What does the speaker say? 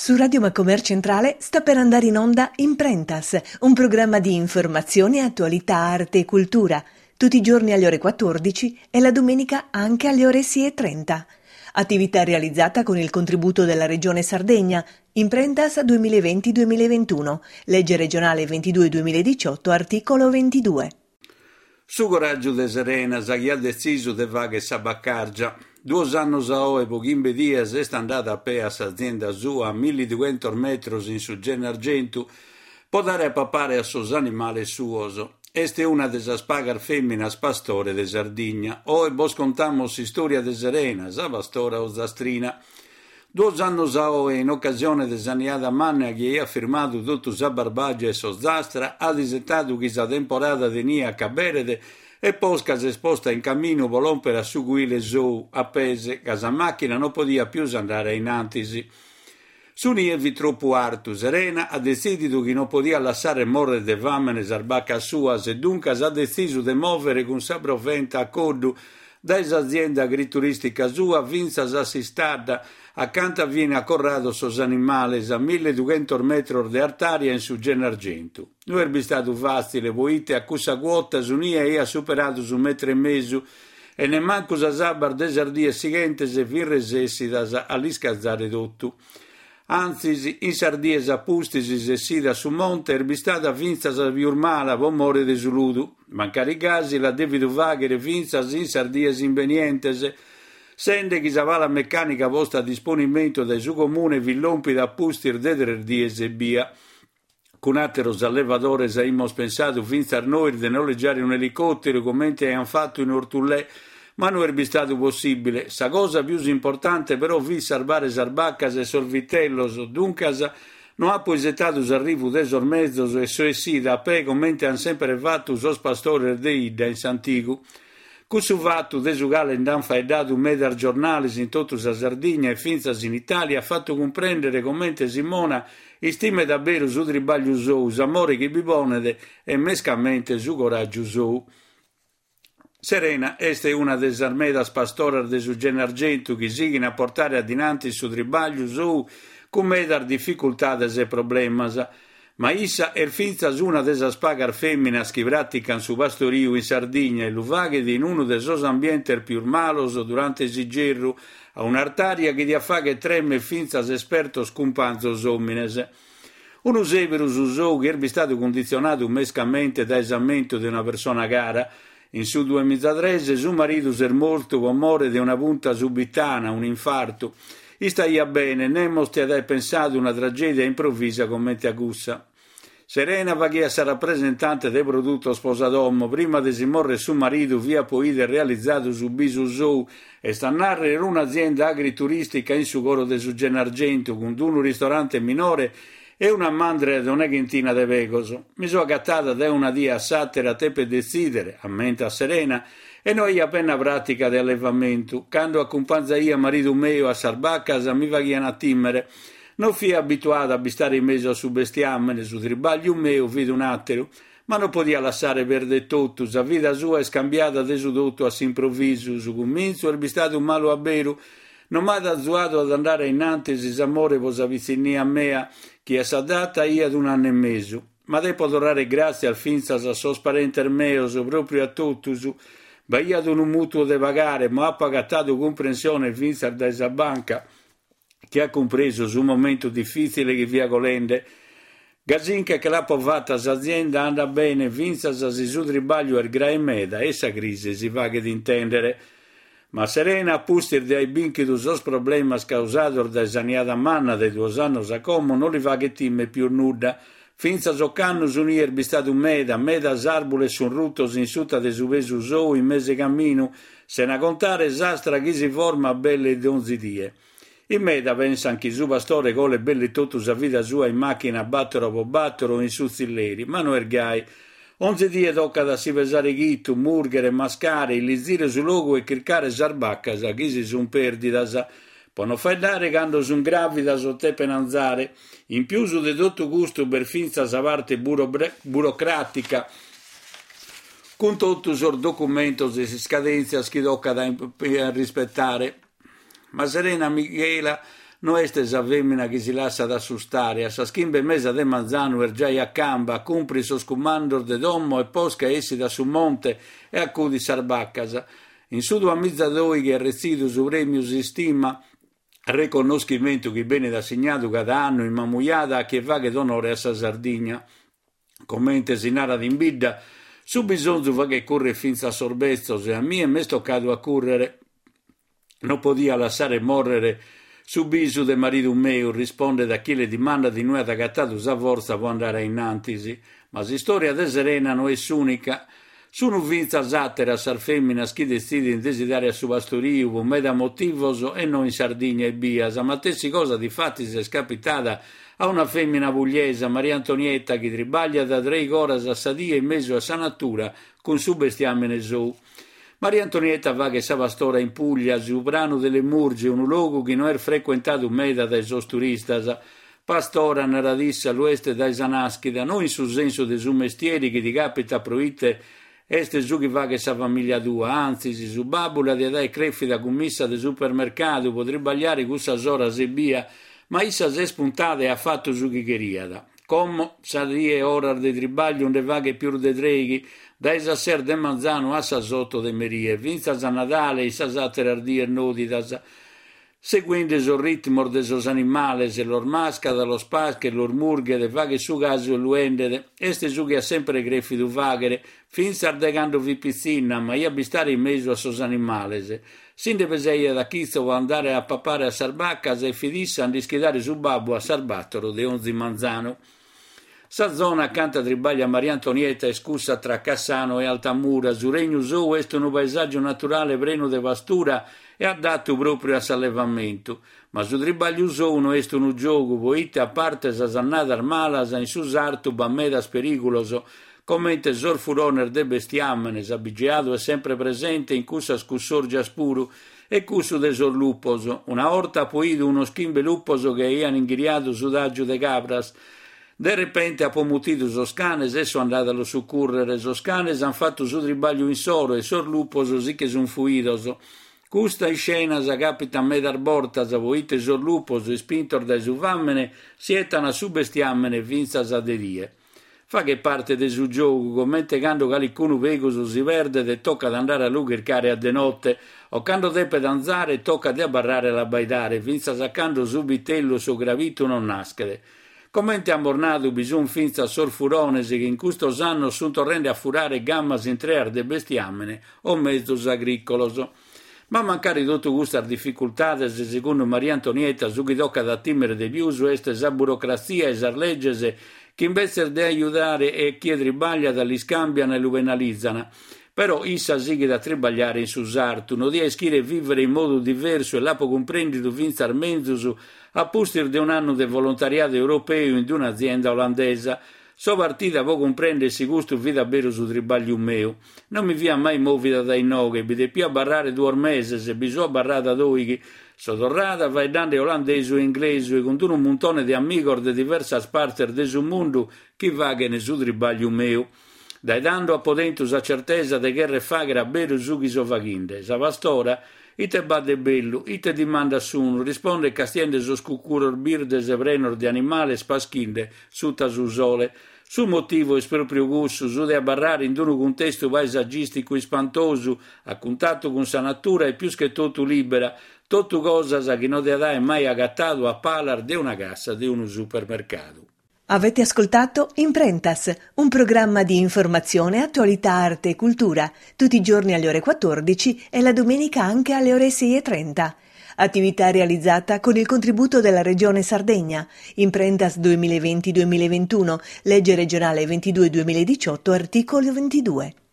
Su Radio Macomer Centrale sta per andare in onda Imprentas, un programma di informazione, attualità, arte e cultura, tutti i giorni alle ore 14 e la domenica anche alle ore 6.30. Attività realizzata con il contributo della Regione Sardegna, Imprentas 2020-2021, legge regionale 22-2018, articolo 22. Su coràgiu de Serena, sa chi at detzisu de fàghere sa bacàrgia. Duos annos a oe, po chimbe dies, est andada a pee a s'azienda sua a milliduchentos metros in su Gennargentu po dare a papare a sos animales suos. Est una de sas pagas fèminas pastore de Sardigna. Oe bos contamus s'istòria de Serena, sa pastora ozastrina. Duos annos a oe, in ocasione de sa niada manna chi aiat firmadu totu sa Barbàgia e s'Ozastra, at isetadu chi sa temporada de nie acaberet e posca s'est posta in caminu pro lòmpere a su cuile sou, a pes, ca sa màchina non podiat pius andare a in antis. Su nie fit tropu artu, Serena at detzìdidu chi non podiat lassare mòrrere de fàmene sas bacas suas e duncas at detzisu de mòvere cun sa proventa a coddu dae s'azienda agrituristica sua fintzas a s'istadda, acanta fin acorrados sos animales, a milleduchentos metros de artària in su Gennargentu. No est bistadu fàtzile, poite a cussa cuota su nie aiat superadu su metru e mesu e nemmancu sas abbas de sas dies sighentes fin resessidas a l'iscazare totu. Antzis, in sas dies a pustis s'essida a su monte est bistada fintzas pius mala pro more de su ludu. Mancari gasi l'at dèvidu fàghere fintzas in sas dies imbenientes, sende chi sa pala mecànica posta a disponimentu dae su Comune fit lòmpida a pustis de tres dies ebbia. Cun àteros allevadores aimus pensadu fintzas nois de nolegiare un'elicòteru comente aiant fatu in Orthullè, ma no est bistadu possìbile. Sa cosa pius importante però fit sarbare sas bacas e sos vitellos, duncas no apo isetadu s'arrivu de sos mezos e so essida a pee comente ant semper fatu sos pastores de 'idda in s'antigu. Cussu fatu, de su cale nd'ant faeddadu medas giornales in totu sa Sardigna e fintzas in Itàlia, at fatu cumprèndere comente Simona istimet a beru su tribàgliu sou, s'amore chi bi ponet e mescamente su coràgiu sou. Serena est una de sas medas pastoras de su Gennargentu chi sighin a portare a dinantis su tribàgliu sou cun medas dificultades e problemas. Ma issa est fintzas una de sas pagas fèminas chi pràtican su pastoriu in Sardigna e lu faghet in unu de sos ambientes pius malos durante s'igerru, a un'artària chi diat fagher trèmere fintzas espertos cumpanzos òmines. Unu sèberu su sou chi est bistadu cunditzionadu mescamente dae s'ammentu de una persona cara. In su duemizatres su maridu s'est mortu pro more de una punta subitana, un'infartu. Istaiat bene, nemos tiat aer pensadu una tragèdia improvisa comente a cussa. Serena faghiat sa rapresentante de produtos pro sa domo, prima de si morrer su maridu fiat pro 'ider realizadu su bisu sou, est a narrer un'azienda agrituristica in su coro de su Gennargentu cun unu ristorante minore e una mandra de una chentina de pegos. Mi so agatada dae una die a s'àtera a teper detzìdere, ammentat Serena, e no aia penna pràtica de allevamentu. Cando acumpanzaia maridu meu a sas bacas mi faghian a tìmere. Non fia abituada a bistare in mesu a su bestiàmene, su tribàgliu meu fit un'àteru. Ma non podia lassare perder totu, sa vida sua est cambiada de su totu a s'improvisu, su cumintzu est bistadu malu a beru, Non m'at azuadu ad andare a innantis s'amore pro sa pitzinnia mea, chi a sa data aiat un'annu e mesu. Ma depo torrare gràtzias fintzas a sos parentes meos, pròpriu a totus. B'aiat unu mùtuu de pagare, ma apo agatadu cumprensione fintzas dae sa banca, chi at cumpresu su momentu difìtzile chi fia colende. Gasinche che l'apo fata s'azienda andat bene fintzas si su tribàgliu est grae meda e sa crisi si faghet intèndere. Ma Serena, a pustis de aer bìnchidu sos problemas causados dae sa niada manna de duos annos a como, non li faghet time pius nudda. Fintzas ocannu su nie est bistadu meda, medas àrbules sunt rutos in suta de su pesu sou in mes'e caminu, sena contare s'astra chi si format belle donzi die. In meda pensan chi su pastore colet belle totu sa vida sua in màchina bàtoro po bàtoro o in su tzilleri, ma no est gai. Onzi die tocat a si pesare chito, mùrghere, mascare, illizire su logu e chircare sas bacas chi si sunt pèrdidas. Pro non faeddare cando sunt gràvidas o tepen anzare. In pius de totu custu b'est fintzas sa parte burocràtica, cun totu sos documentos e sas iscadèntzias chi tocat a rispetare. Ma Serena Michela. No est sa fèmina chi si lassat assustare, a sas chimbe e mesa de manzanu est giai a camba, cumprit sos cumandos de domo e posca essit a su monte e acudit sas bacas. In su duamizadoighi at retzidu su prèmiu S'Istima, reconnoschimentu chi benit assignadu cada annu in Mamujada a chie faghet onore a sa Sardigna. Comente si narat in bidda, su bisonzu faghet currer fintzas sos betzos e a mie m'est tocadu a currere. Non podia lassare mòrrere su bisu de maridu meu, rispondet a chie li dimandat inue at agatadu sa fortza pro andare a in antis. Ma s'istòria de Serena no est s'ùnica. Sunu fintzas àteras sas fèminas chi detzidint de si dare a su pastoriu pro meda motivos e no in Sardigna ebbia. Sa matessi cosa difatis est capitada a una fèmina pugliesa, Maria Antonietta, chi tribagliat treigh'oras a sa die in mesu a sa natura cun su bestiàmene sou. Maria Antonietta faghet sa pastora in Puglia, su Pranu de le Murge, unu logu chi no est frecuentadu meda dae sos turistas. Pastora, narat issa, lu est dae sa nàschida, no in su sensu de su mestieri chi ti capitat proite est su chi faghet sa famìlia tua, antzis, su babbu la diat aer crèfida cummissa de supermercadu pro tribagliare cussas oras ebbia, ma issa s'est puntada e at fatu su chi cheriat. Como, sa die oras de tribagliu nde faghet pius de treighi, dae sas ses de manzanu a sas oto de merie, fintzas a Nadale e in sas àteras dies nòdidas. Seguende sos ritmos de sos animales, los mascat, los paschet, los murghet, faghet su casu e lu 'endet. Est su chi at sempre crèfidu fàghere, fintzas dae cando fit pitzinna, amaiat bistare in mesu a sos animales. Si nde pesaiat a chitzo pro andare a papare a sas bacas e fit issa a nd'ischidare su babbu a sas bàtoro de onzi manzanu. Sa zona acanta tribagliat Maria Antonietta est cussa tra Cassano e Altamura, su regnu sou est unu paesàgiu naturale prenu de pastura e addatu pròpriu a s'allevamentu. Ma su tribagliu sou no est unu giogu, poite a parte sas annadas malas in su sartu b'at medas perìgulos, comente sos furones de bestiàmene, s'abigeadu est sempre presente in cussas cussòrgias puru, e cussu de sos lupos. Una 'orta apo 'idu unos chimbe lupos chi aian inghiriadu su tàgiu de cabras. De repente apo mutidu sos canes e so andada a los sucùrrere. Sos canes an fatu su tribagliu insoro e sos lupos si che sun fuidos. Custas iscenas capitan medas bortas, poite sos lupos, ispintos dae su fàmene, si 'etan a su bestiàmene fintzas a de die. Faghet parte de su giogu, comente cando calicunu pegus si perdet e tocat andare a lu chircare a de note, o cando depet anzare e tocat de abarrare a l'abbaidare fintzas a cando su bitellu o su crabitu non naschet. Comente amus nadu bi sunt fintzas sos furones chi in custos annos sunt torrende a furare gamas intreas de bestiàmene o mezos agrìcolos. Ma mancari totu custas dificultades, segundu Maria Antonietta su chi tocat a tìmere de pius est sa burocratzia e sas leges chi imbetzes de ajudare a chie tribagliat l'iscambian e lu penalizan. Però issa sighit a tribagliare in su sartu, no dia ischire vìvere in modu diversu e l'apo cumprèndidu fintzas menzus a pustis de un'annu de volontariadu europeu in un'azienda olandesa. So partida pro cumprèndere si custu fit a beru su tribagliu meu. Non mi fia mai mòvida dae inoghe, bi depia abarrare duos meses e bi so abarrada doighi. So torrada faeddande olandesu e inglesu e cun unu muntone de amigos de diversas partes de su mundu chi faghen su tribagliu meu. Dae tando apo tentu sa certesa de cherrer fàghere a beru su chi so faghinde. Sa pastora, Ite b'at de bellu? Ite dimandas sunu? Rispondet castiende sos cucuros birdes prenos de animales paschinde suta su sole. Su motivu est pròpriu cussu, su de abarrare in unu cuntestu paesagìsticu ispantosu, a cuntatu cun sa natura e pius che totu lìbera, totu cosas chi no diat aer mai agatadu a palas de una cassa de unu supermercadu. Avete ascoltato Imprentas, un programma di informazione, attualità, arte e cultura, tutti i giorni alle ore 14 e la domenica anche alle ore 6.30. Attività realizzata con il contributo della Regione Sardegna. Imprentas 2020-2021, legge regionale 22-2018, articolo 22.